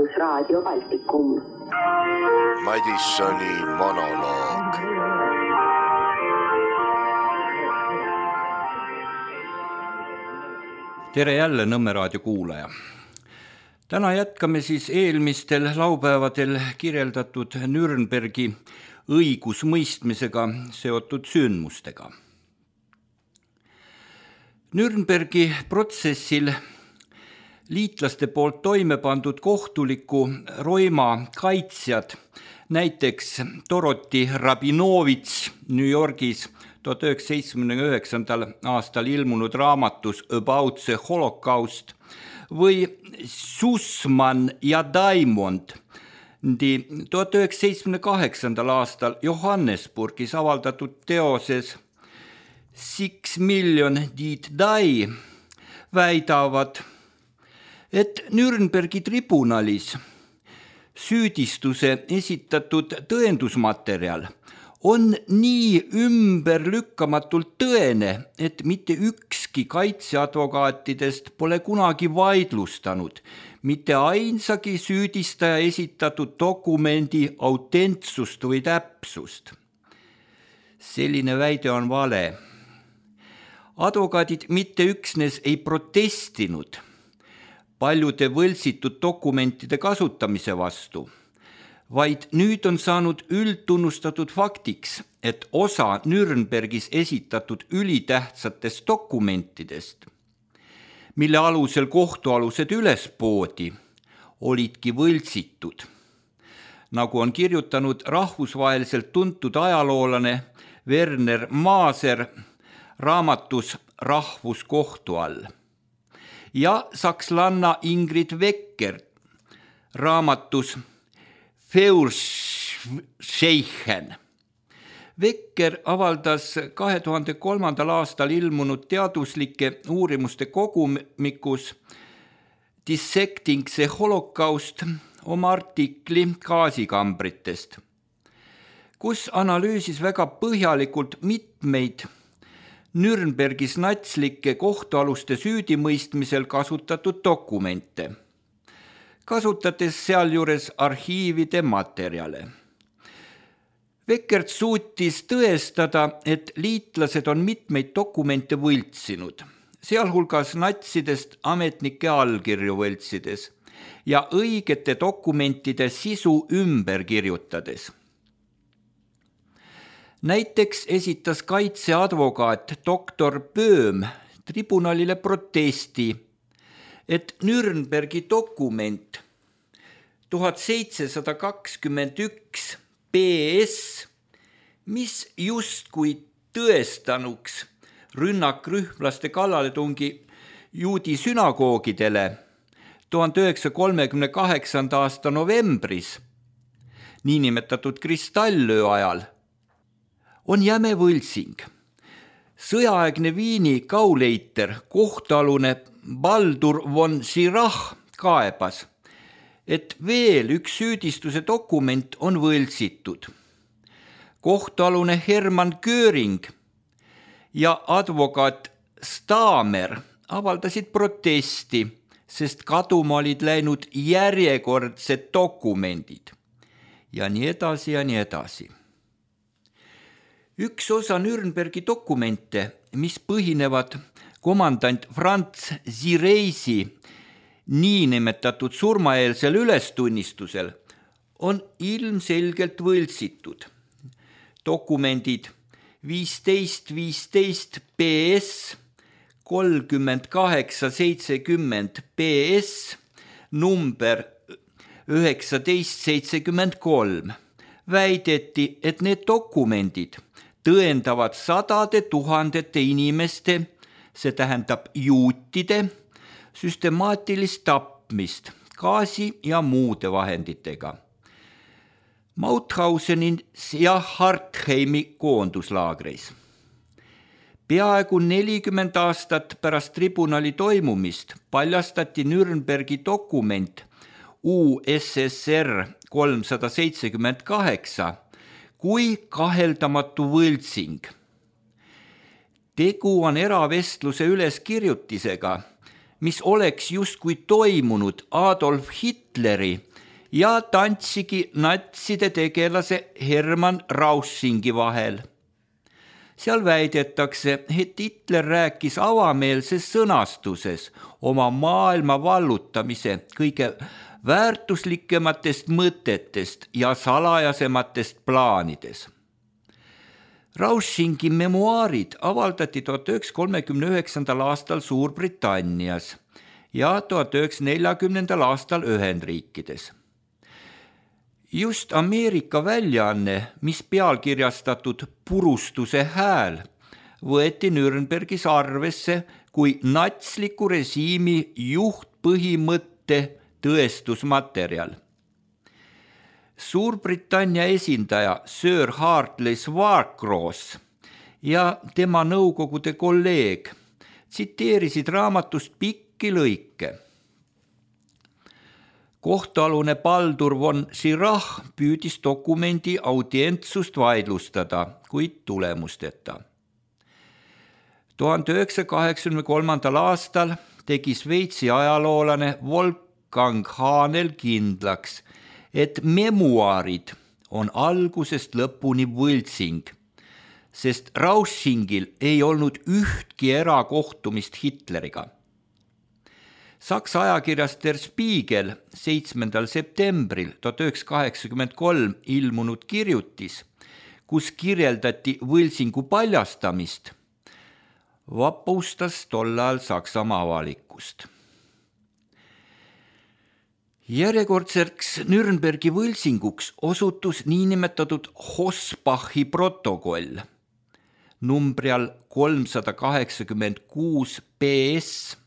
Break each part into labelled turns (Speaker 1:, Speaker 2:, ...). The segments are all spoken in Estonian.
Speaker 1: Rahvusraadio Baltikum.
Speaker 2: Madissoni monoloog.
Speaker 3: Tere jälle Nõmme raadio kuulaja. Täna jätkame siis eelmistel laupäevadel kirjeldatud Nürnbergi õigusmõistmisega seotud sündmustega. Nürnbergi protsessil liitlaste poolt toime pandud kohtuliku roima kaitsjad, näiteks Doroti Rabinovitš New Yorgis 1979. aastal ilmunud raamatus About the Holocaust või Sussman ja Diamond 1978. aastal Johannesburgis avaldatud teoses 6 Million Did Die väidavad, et Nürnbergi tribunalis süüdistuse esitatud tõendusmaterjal on nii ümberlükkamatult tõene, et mitte ükski kaitseadvokaatidest pole kunagi vaidlustanud mitte ainsagi süüdistaja esitatud dokumendi autentsust või täpsust. Selline väide on vale. Advokaadid mitte üksnes ei protestinud paljude võltsitud dokumentide kasutamise vastu, vaid nüüd on saanud üldtunnustatud faktiks, et osa Nürnbergis esitatud ülitähtsatest dokumentidest, mille alusel kohtualused üles poodi, olidki võltsitud. Nagu on kirjutanud rahvusvaheliselt tuntud ajaloolane Werner Maaser raamatus Rahvuskohtu all ja sakslanna Ingrid Wecker raamatus Feuerscheichen. Wecker avaldas 2003. aastal ilmunud teaduslike uurimuste kogumikus Dissecting the Holocaust oma artikli gaasikambritest, kus analüüsis väga põhjalikult mitmeid Nürnbergis natslike kohtualuste süüdimõistmisel kasutatud dokumente, kasutades sealjuures arhiivide materjale. Weckert suutis tõestada, et liitlased on mitmeid dokumente võltsinud, sealhulgas natsidest ametnike allkirju võltsides ja õigete dokumentide sisu ümber kirjutades. Näiteks esitas kaitseadvokaat doktor Böhm tribunalile protesti, et Nürnbergi dokument 1721 PS, mis justkui tõestanuks rünnakrühmlaste kallaletungi juudi sünagoogidele 1938. aasta novembris, niinimetatud kristallöö ajal, on jäme võltsing. Sõjaaegne Viini Gauleiter, kohtualune Baldur von Schirach kaebas, et veel üks süüdistuse dokument on võltsitud. Kohtualune Hermann Göring ja advokaat Stamer avaldasid protesti, sest kaduma olid läinud järjekordsed dokumendid ja nii edasi ja nii edasi. Üks osa Nürnbergi dokumente, mis põhinevad komandant Franz Zireisi niinimetatud surmaeelsel ülestunnistusel, on ilmselgelt võltsitud. Dokumendid 1515 PS, 3870 PS, number 1973 väideti, et need dokumendid tõendavad sadade tuhandete inimeste, see tähendab juutide, süstemaatilist tapmist gaasi ja muude vahenditega. Mauthausenis ja Hartheimi koonduslaagreis. Peaaegu 40 aastat pärast tribunali toimumist paljastati Nürnbergi dokument USSR 378 kui kaheldamatu võltsing. Tegu on eravestluse üleskirjutisega, mis oleks justkui toimunud Adolf Hitleri ja tantsigi natside tegelase Hermann Raussingi vahel. Seal väidetakse, et Hitler rääkis avameelses sõnastuses oma maailma vallutamise kõige väärtuslikematest mõtetest ja salajasematest plaanides. Raussingi memuaarid avaldati 1939. aastal Suurbritannias ja 1940. aastal Ühendriikides. Just Ameerika väljaanne, mis pealkirjastatud Purustuse hääl, võeti Nürnbergis arvesse kui natsliku režiimi juhtpõhimõtte tõestusmaterjal. Suurbritannia esindaja Sir Hartley Swartcross ja tema nõukogude kolleeg tsiteerisid raamatust pikki lõike. Kohtualune Baldur von Schirach püüdis dokumendi audientsust vaidlustada, kuid tulemusteta. 1983. aastal tegi Šveitsi ajaloolane Wolfgang Hahnel kindlaks, et memuaarid on algusest lõpuni võltsing, sest Raussingil ei olnud ühtki erakohtumist Hitleriga. Saksa ajakirjas Der Spiegel 7. septembril 1983 ilmunud kirjutis, kus kirjeldati võltsingu paljastamist, vapustas tollal Saksamaa avalikkust. Järjekordseks Nürnbergi võltsinguks osutus niinimetatud Hossbachi protokoll numbrial 386 PS,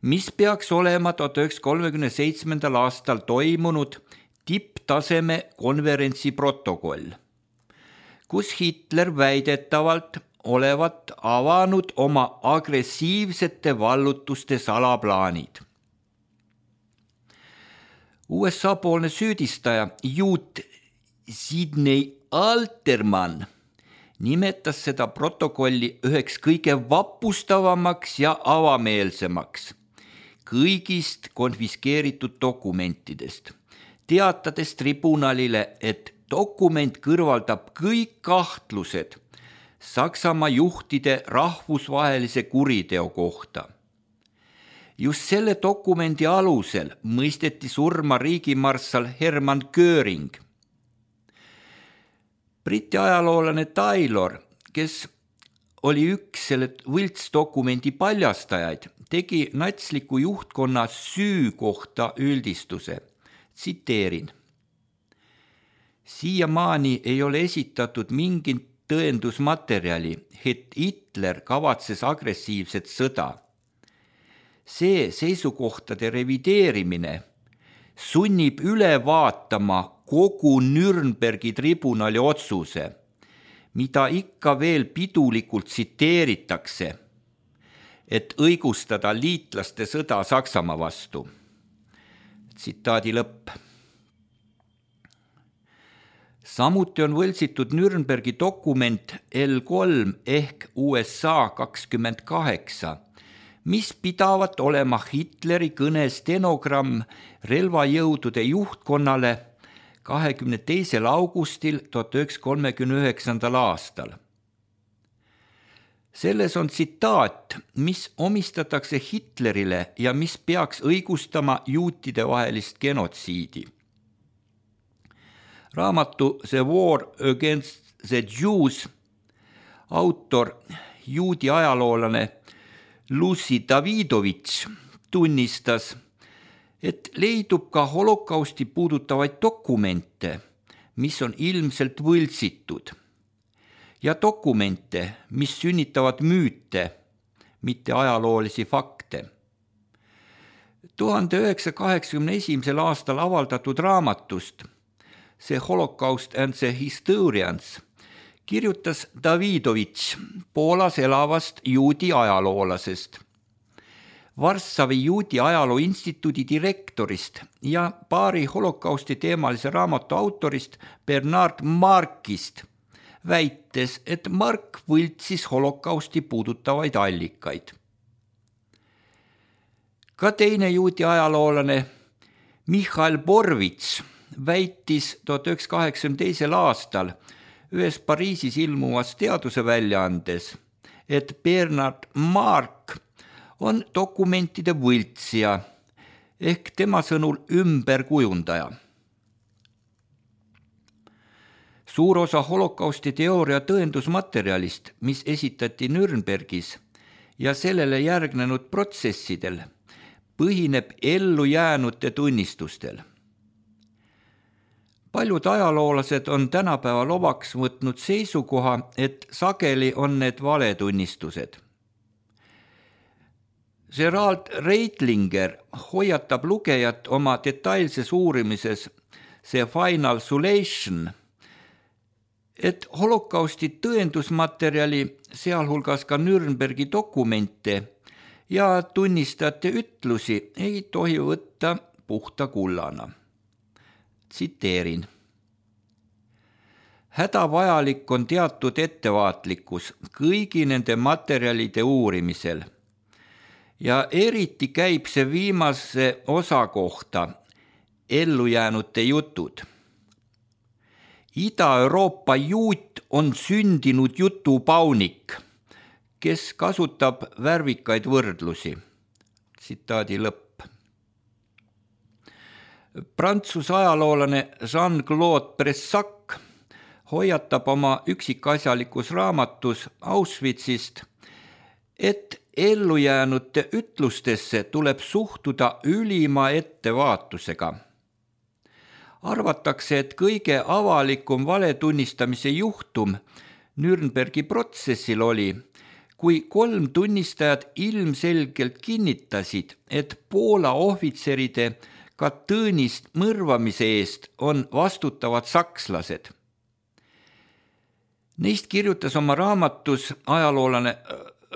Speaker 3: mis peaks olema 1937. aastal toimunud tipptaseme konverentsi protokoll, kus Hitler väidetavalt olevat avanud oma agressiivsete vallutuste salaplaanid. USA-poolne süüdistaja juut Sidney Alterman nimetas seda protokolli üheks kõige vapustavamaks ja avameelsemaks kõigist konfiskeeritud dokumentidest, teatades tribunalile, et dokument kõrvaldab kõik kahtlused Saksamaa juhtide rahvusvahelise kuriteo kohta. Just selle dokumendi alusel mõisteti surma riigimarssal Hermann Göring. Briti ajaloolane Taylor, kes oli üks selle võltsdokumendi paljastajaid, tegi natsliku juhtkonna süü kohta üldistuse. Tsiteerin. Siiamaani ei ole esitatud mingit tõendusmaterjali, et Hitler kavatses agressiivset sõda. See seisukohtade revideerimine sunnib üle vaatama kogu Nürnbergi tribunali otsuse, mida ikka veel pidulikult tsiteeritakse, et õigustada liitlaste sõda Saksamaa vastu. Tsitaadi lõpp. Samuti on võltsitud Nürnbergi dokument L3 ehk USA 28, mis pidavat olema Hitleri kõne stenogramm relvajõudude juhtkonnale 22. augustil 1939. aastal. Selles on tsitaat, mis omistatakse Hitlerile ja mis peaks õigustama juutide vahelist genotsiidi. Raamatu The War Against the Jews autor, juudi ajaloolane Lucy Davidovitš tunnistas, et leidub ka holokausti puudutavaid dokumente, mis on ilmselt võltsitud, ja dokumente, mis sünnitavad müüte, mitte ajaloolisi fakte. 1981. aastal avaldatud raamatust See Holocaust and the Historians kirjutas Davidovitš Poolas elavast juudi ajaloolasest, Varssavi juudi ajaloo instituudi direktorist ja paari holokausti teemalise raamatu autorist Bernard Markist, väites, et Mark võltsis holokausti puudutavaid allikaid. Ka teine juudi ajaloolane Michail Borvits väitis 1982. aastal ühes Pariisis ilmuvas teaduse väljaandes, et Bernard Marc on dokumentide võltsija ehk tema sõnul ümberkujundaja. Suur osa holokausti teooria tõendusmaterjalist, mis esitati Nürnbergis ja sellele järgnenud protsessidel, põhineb ellujäänute tunnistustel. Paljud ajaloolased on tänapäeval omaks võtnud seisukoha, et sageli on need valetunnistused. Gerald Reitlinger hoiatab lugejat oma detailses uurimises The Final Solution, et holokausti tõendusmaterjali, sealhulgas ka Nürnbergi dokumente ja tunnistajate ütlusi ei tohi võtta puhta kullana. Tsiteerin. Hädavajalik on teatud ettevaatlikkus kõigi nende materjalide uurimisel ja eriti käib see viimase osa kohta, ellujäänute jutud. Ida-Euroopa juut on sündinud jutupaunik, kes kasutab värvikaid võrdlusi. Tsitaadi lõpp. Prantsuse ajaloolane Jean-Claude Bressac hoiatab oma üksikasjalikus raamatus Auschwitzist, et ellujäänute ütlustesse tuleb suhtuda ülima ettevaatusega. Arvatakse, et kõige avalikum valetunnistamise juhtum Nürnbergi protsessil oli, kui 3 tunnistajat ilmselgelt kinnitasid, et Poola ohvitseride Katõnist mõrvamise eest on vastutavad sakslased. Neist kirjutas oma raamatus ajaloolane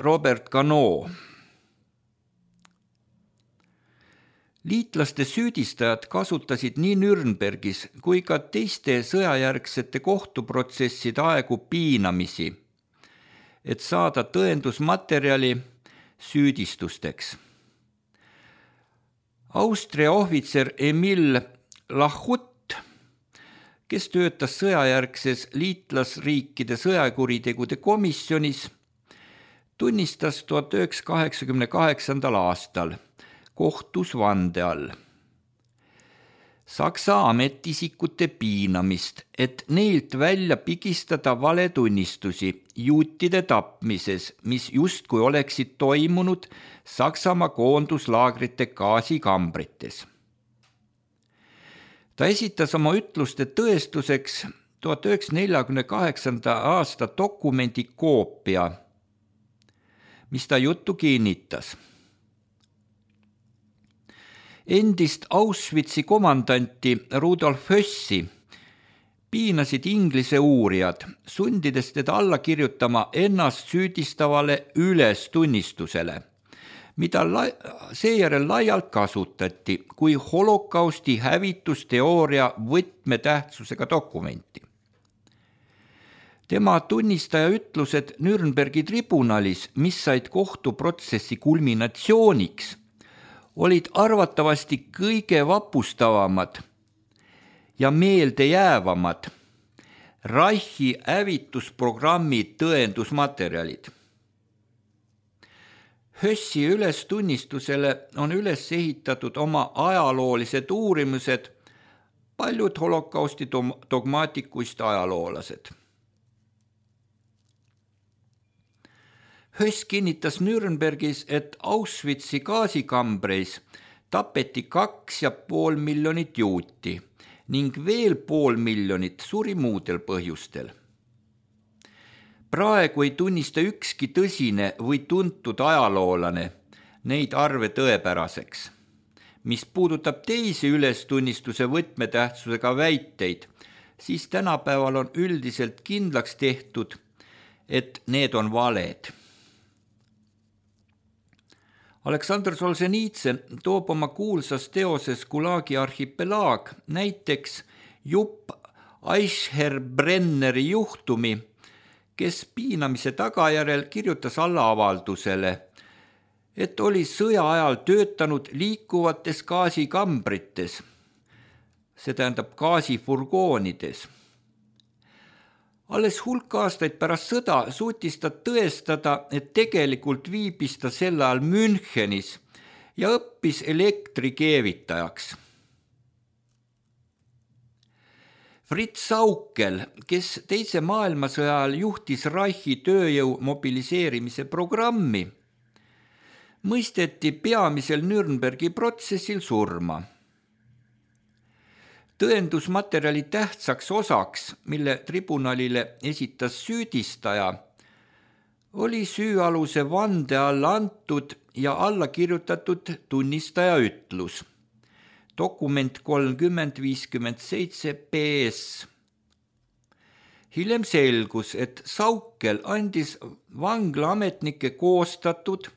Speaker 3: Robert Ganot. Liitlaste süüdistajad kasutasid nii Nürnbergis kui ka teiste sõjajärgsete kohtuprotsesside aegu piinamisi, et saada tõendusmaterjali süüdistusteks. Austria ohvitser Emil Lachut, kes töötas sõjajärgses liitlasriikide sõjakuritegude komisjonis, tunnistas 1988. aastal kohtus vande all Saksa ametiisikute piinamist, et neilt välja pigistada valetunnistusi juutide tapmises, mis justkui oleksid toimunud Saksamaa koonduslaagrite gaasikambrites. Ta esitas oma ütluste tõestuseks 1948. aasta dokumendi koopia, mis ta juttu kinnitas. Endist Auschwitzi komandanti Rudolf Hössi piinasid Inglise uurijad, sundides teda alla kirjutama ennast süüdistavale ülestunnistusele, mida seejärel laialt kasutati kui holokausti hävitusteooria võtmetähtsusega dokumenti. Tema tunnistaja ütlused Nürnbergi tribunalis, mis said kohtuprotsessi kulminatsiooniks, olid arvatavasti kõige vapustavamad ja meeldejäävamad Reichi hävitusprogrammi tõendusmaterjalid. Hössi ülestunnistusele on üles ehitatud oma ajaloolised uurimused, paljud holokausti dogmaatikuist ajaloolased. Höss kinnitas Nürnbergis, et Auschwitzi gaasikambreis tapeti 2,5 miljonit juuti ning veel 500 000 suri muudel põhjustel. Praegu ei tunnista ükski tõsine või tuntud ajaloolane neid arve tõepäraseks. Mis puudutab teisi ülestunnistuse võtmetähtsusega väiteid, siis tänapäeval on üldiselt kindlaks tehtud, et need on valed. Aleksandr Solženitsõn toob oma kuulsas teoses Gulagi arhipelaag näiteks Jupp Eichherbrenneri juhtumi, kes piinamise tagajärjel kirjutas alla avaldusele, et oli sõja ajal töötanud liikuvates gaasikambrites see tähendab gaasifurgoonides. Alles hulk aastaid pärast sõda suutis ta tõestada, et tegelikult viibis ta sel ajal Münchenis ja õppis elektrikeevitajaks. Fritz Sauckel, kes teise maailmasõja ajal juhtis Reichi tööjõu mobiliseerimise programmi, mõisteti peamisel Nürnbergi protsessil surma. Tõendusmaterjali tähtsaks osaks, mille tribunalile esitas süüdistaja, oli süüaluse vande alla antud ja alla kirjutatud tunnistaja ütlus. Dokument 3057 PS. Hiljem selgus, et Sauckel andis vanglaametnike koostatud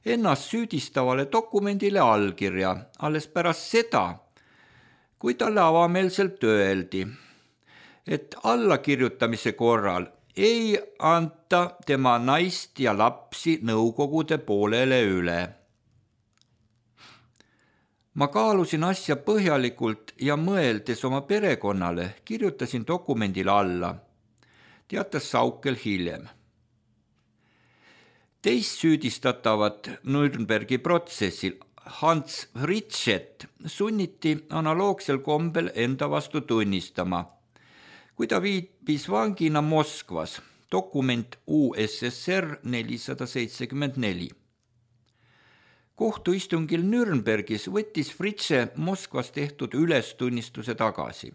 Speaker 3: ennast süüdistavale dokumendile allkirja alles pärast seda, kui talle avameelselt öeldi, et allakirjutamise korral ei anta tema naist ja lapsi nõukogude poolele üle. Ma kaalusin asja põhjalikult ja mõeldes oma perekonnale, kirjutasin dokumendile alla, teatas Sauckel hiljem. Teist süüdistatavat Nürnbergi protsessil Hans Fritschet sunniti analoogsel kombel enda vastu tunnistama, kui ta viibis vangina Moskvas, dokument USSR 474. Kohtuistungil Nürnbergis võttis Fritsche Moskvas tehtud ülestunnistuse tagasi.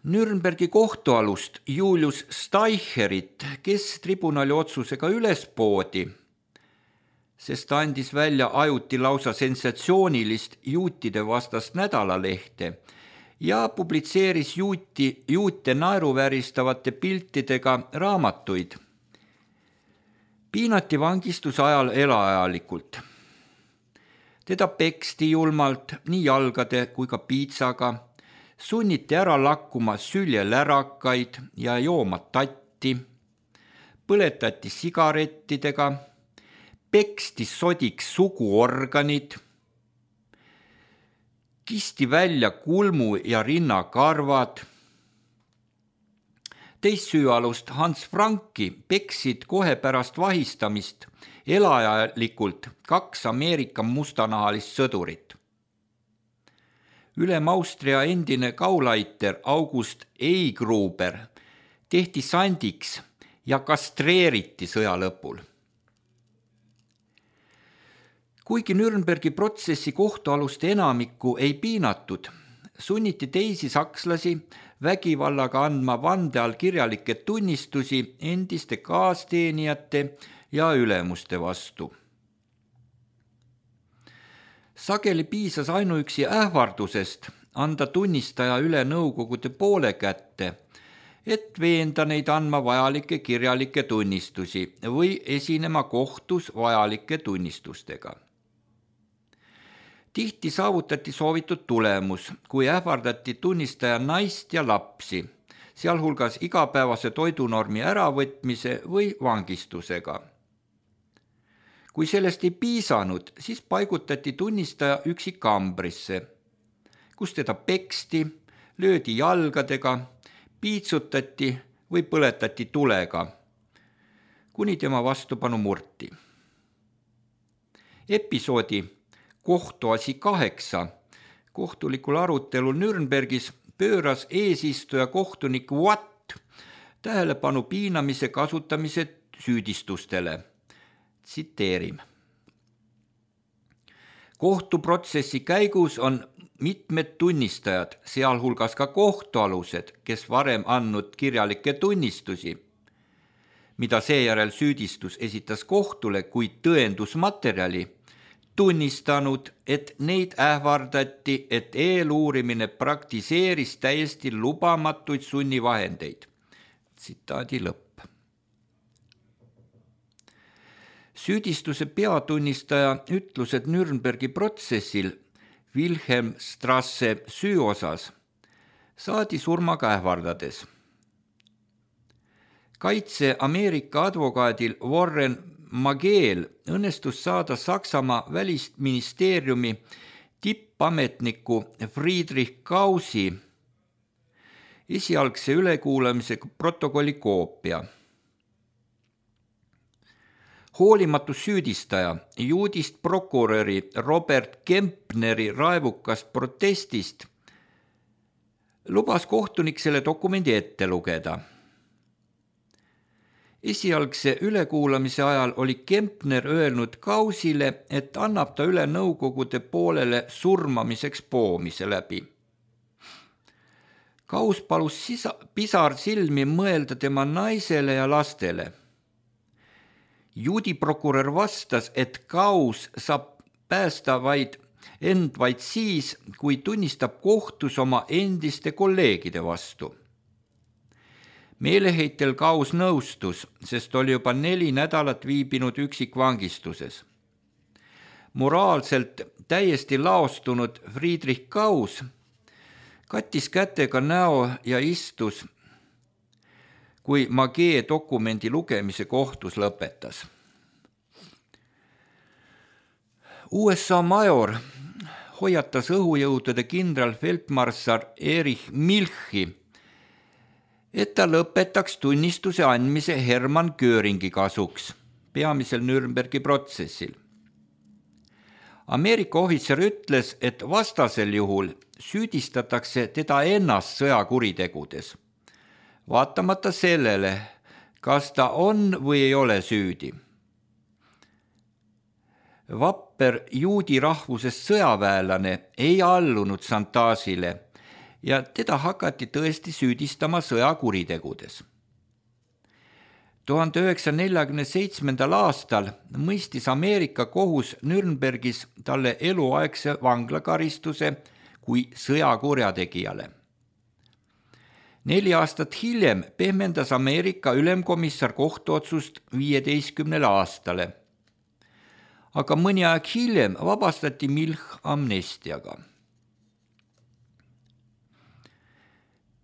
Speaker 3: Nürnbergi kohtualust Julius Steicherit, kes tribunali otsusega üles poodi, sest ta andis välja ajuti lausa sensatsioonilist juutide vastast nädalalehte ja publitseeris juute naeruvääristavate piltidega raamatuid. Piinati vangistuse ajal elaajalikult. Teda peksti julmalt nii jalgade kui ka piitsaga, sunniti ära lakkuma süljelärakaid ja jooma tatti, põletati sigarettidega, peksti sodiks suguorganid, kisti välja kulmu ja rinnakarvad. Teist süüalust Hans Franki peksid kohe pärast vahistamist elaajalikult 2 Ameerika mustanahalist sõdurit. Ülem Austria endine Gauleiter August Eigruber tehti sandiks ja kastreeriti sõja lõpul. Kuigi Nürnbergi protsessi kohtualuste enamikku ei piinatud, sunniti teisi sakslasi vägivallaga andma vande all kirjalikke tunnistusi endiste kaasteenijate ja ülemuste vastu. Sageli piisas ainuüksi ähvardusest anda tunnistaja üle nõukogude poole kätte, et veenda neid andma vajalikke kirjalikke tunnistusi või esinema kohtus vajalike tunnistustega. Tihti saavutati soovitud tulemus, kui ähvardati tunnistaja naist ja lapsi, sealhulgas igapäevase toidunormi äravõtmise või vangistusega. Kui sellest ei piisanud, siis paigutati tunnistaja üksikambrisse, kus teda peksti, löödi jalgadega, piitsutati või põletati tulega, kuni tema vastupanu murti. Episoodi Kohtuasi 8 kohtulikul arutelul Nürnbergis pööras eesistuja kohtunik Watt tähelepanu piinamise kasutamise süüdistustele. Tsiteerim. Kohtuprotsessi käigus on mitmed tunnistajad, sealhulgas ka kohtualused, kes varem andnud kirjalikke tunnistusi, mida seejärel süüdistus esitas kohtule kui tõendusmaterjali, tunnistanud, et neid ähvardati, et eeluurimine praktiseeris täiesti lubamatuid sunnivahendeid. Tsitaadi lõpp. Süüdistuse peatunnistaja ütlused Nürnbergi protsessil Wilhelmstrasse süüosas saadi surmaga ähvardades. Kaitse Ameerika advokaadil Warren Mageel õnnestus saada Saksamaa välisministeeriumi tippametniku Friedrich Gausi esialgse ülekuulamise protokolli koopia. Hoolimatus süüdistaja juudist prokuröri Robert Kempneri raevukast protestist lubas kohtunik selle dokumendi ette lugeda. Esialgse ülekuulamise ajal oli Kempner öelnud Gausile, et annab ta üle nõukogude poolele surmamiseks poomise läbi. Gaus palus pisarsilmi mõelda tema naisele ja lastele. Juudi prokurör vastas, et Gaus saab päästa end vaid siis, kui tunnistab kohtus oma endiste kolleegide vastu. Meeleheitel Gaus nõustus, sest oli juba 4 nädalat viibinud üksikvangistuses. Moraalselt täiesti laostunud Friedrich Gaus kattis kätega näo ja istus, kui Magee dokumendi lugemise kohtus lõpetas. USA major hoiatas õhujõudude kindralfeldmarssal Erich Milchi, et ta lõpetaks tunnistuse andmise Hermann Göringi kasuks, peamisel Nürnbergi protsessil. Ameerika ohvitser ütles, et vastasel juhul süüdistatakse teda ennast sõjakuritegudes, vaatamata sellele, kas ta on või ei ole süüdi. Vapper juudi rahvusest sõjaväelane ei allunud šantaažile ja teda hakati tõesti süüdistama sõjakuritegudes. 1947. aastal mõistis Ameerika kohus Nürnbergis talle eluaegse vanglakaristuse kui sõjakurjategijale. 4 aastat hiljem pehmendas Ameerika ülemkomissar kohtuotsust 15 aastale, aga mõni aeg hiljem vabastati Milch amnestiaga.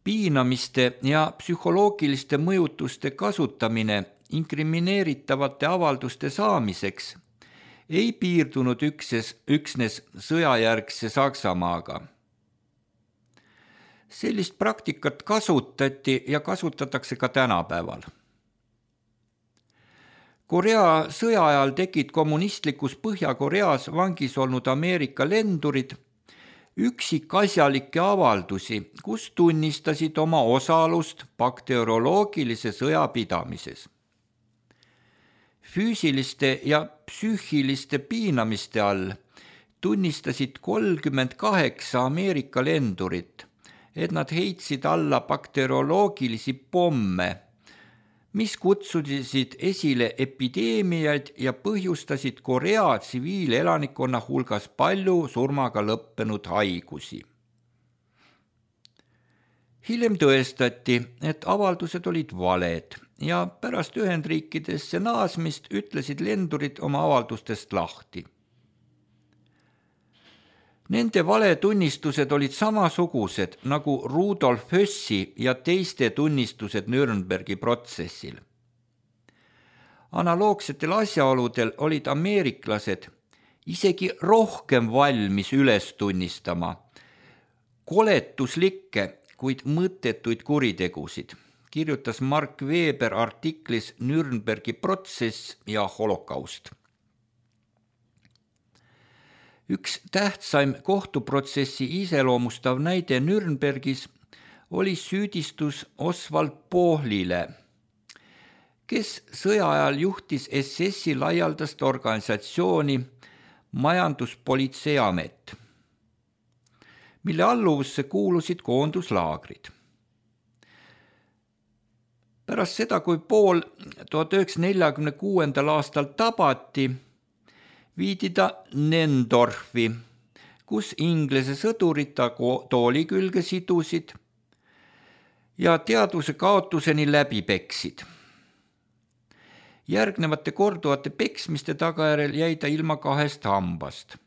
Speaker 3: Piinamiste ja psühholoogiliste mõjutuste kasutamine inkrimineeritavate avalduste saamiseks ei piirdunud üksnes sõjajärgse Saksamaaga. Sellist praktikat kasutati ja kasutatakse ka tänapäeval. Korea sõja ajal tegid kommunistlikus Põhja-Koreas vangis olnud Ameerika lendurid üksikasjalikke avaldusi, kus tunnistasid oma osalust bakterioloogilise sõja pidamises. Füüsiliste ja psüühiliste piinamiste all tunnistasid 38 Ameerika lendurit, et nad heitsid alla bakterioloogilisi pomme, mis kutsusid esile epideemiaid ja põhjustasid Korea tsiviilelanikkonna hulgas palju surmaga lõppenud haigusi. Hiljem tõestati, et avaldused olid valed ja pärast Ühendriikidesse naasmist ütlesid lendurid oma avaldustest lahti. Nende valetunnistused olid samasugused nagu Rudolf Hössi ja teiste tunnistused Nürnbergi protsessil. Analoogsetel asjaoludel olid ameeriklased isegi rohkem valmis üles tunnistama koletuslikke, kuid mõttetuid kuritegusid, kirjutas Mark Weber artiklis Nürnbergi protsess ja holokaust. Üks tähtsaim kohtuprotsessi iseloomustav näide Nürnbergis oli süüdistus Oswald Pohlile, kes sõja ajal juhtis SS-i laialdast organisatsiooni Majanduspolitseiamet, mille alluvusse kuulusid koonduslaagrid. Pärast seda, kui Pohl 1946. aastal tabati, viidi ta Nendorfi, kus Inglise sõdurid ta tooli külge sidusid ja teadvuse kaotuseni läbi peksid. Järgnevate korduvate peksmiste tagajärjel jäi ta ilma 2 hambast.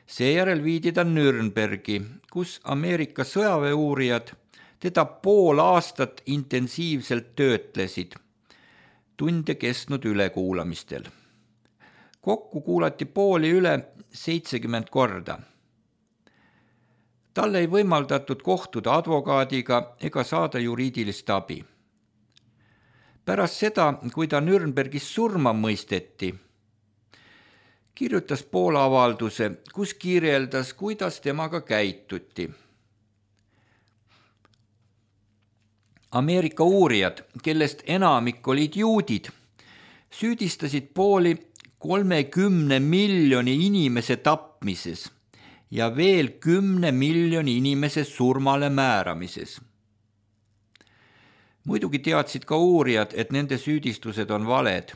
Speaker 3: Seejärel viidi ta Nürnbergi, kus Ameerika sõjaväeuurijad teda pool aastat intensiivselt töötlesid, tunde kestnud ülekuulamistel. Kokku kuulati Pohli üle 70 korda. Talle ei võimaldatud kohtuda advokaadiga ega saada juriidilist abi. Pärast seda, kui ta Nürnbergis surma mõisteti, kirjutas Paul avalduse, kus kirjeldas, kuidas temaga käituti. Ameerika uurijad, kellest enamik olid juudid, süüdistasid Pauli 30 miljoni inimese tapmises ja veel 10 miljoni inimese surmale määramises. Muidugi teadsid ka uurijad, et nende süüdistused on valed,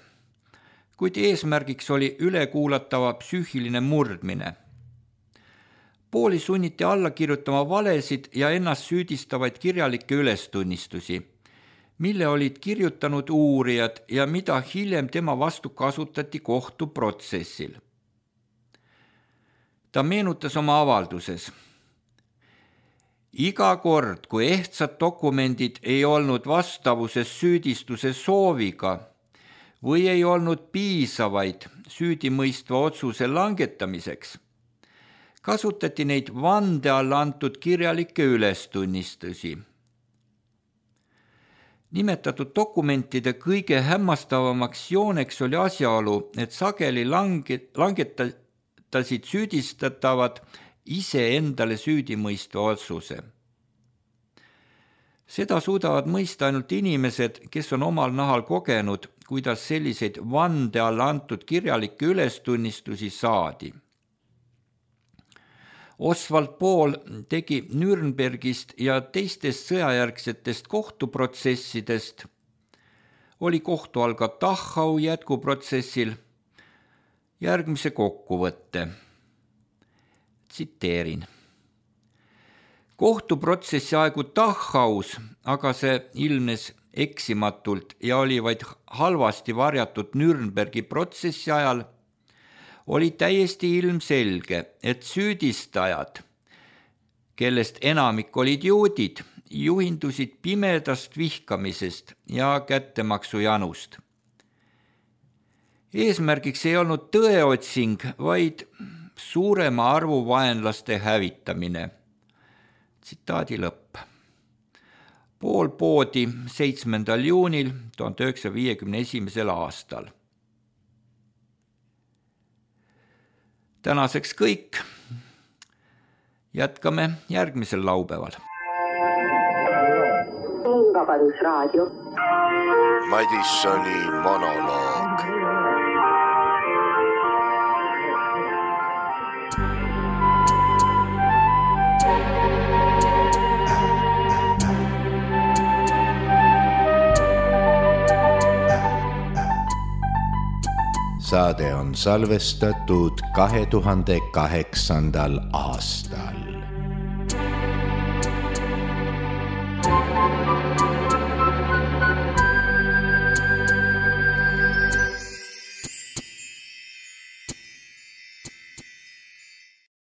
Speaker 3: kuid eesmärgiks oli ülekuulatava psüühiline murdmine. Pauli sunniti alla kirjutama valesid ja ennast süüdistavaid kirjalikke ülestunnistusi, mille olid kirjutanud uurijad ja mida hiljem tema vastu kasutati kohtuprotsessil. Ta meenutas oma avalduses: iga kord, kui ehtsad dokumendid ei olnud vastavuses süüdistuse sooviga või ei olnud piisavaid süüdimõistva otsuse langetamiseks, kasutati neid vande all antud kirjalikke ülestunnistusi. Nimetatud dokumentide kõige hämmastavamaks jooneks oli asjaolu, et sageli langetasid süüdistatavad ise endale süüdimõistva otsuse. Seda suudavad mõista ainult inimesed, kes on omal nahal kogenud, kuidas selliseid vande all antud kirjalikke ülestunnistusi saadi. Oswald Paul tegi Nürnbergist ja teistest sõjajärgsetest kohtuprotsessidest, oli kohtu all ka Dachau jätkuprotsessil, järgmise kokkuvõtte. Tsiteerin. Kohtuprotsessi aegu Dachaus, aga see ilmnes eksimatult ja oli vaid halvasti varjatud Nürnbergi protsessi ajal, oli täiesti ilmselge, et süüdistajad, kellest enamik olid juudid, juhindusid pimedast vihkamisest ja kättemaksujanust. Eesmärgiks ei olnud tõeotsing, vaid suurema arvu vaenlaste hävitamine. Tsitaadi lõpp. Paul poodi 7. juunil 1951. aastal. Tänaseks kõik. Jätkame järgmisel laupäeval.
Speaker 1: Vabadusraadio.
Speaker 2: Madissoni monoloog. Saade on salvestatud 2008. aastal.